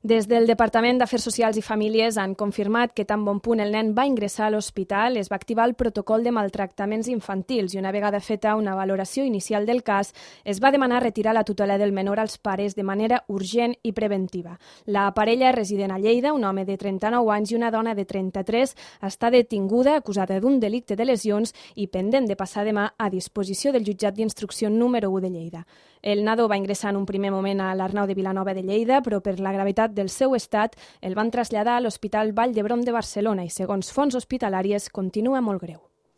Des del Departament d'Afers Socials i Famílies han confirmat que tan bon punt el nen va ingressar a l'hospital es va activar el protocol de maltractaments infantils i una vegada feta una valoració inicial del cas es va demanar retirar la tutela del menor als pares de manera urgent i preventiva. La parella resident a Lleida, un home de 39 anys i una dona de 33, està detinguda acusada d'un delicte de lesions i pendent de passar demà a disposició del jutjat d'instrucció número 1 de Lleida. El nadó va ingressar en un primer moment a l'Arnau de Vilanova de Lleida, però per la gravetat del seu estat el van traslladar a l'Hospital Vall d'Hebron de Barcelona i, segons fonts hospitalàries, continua molt greu.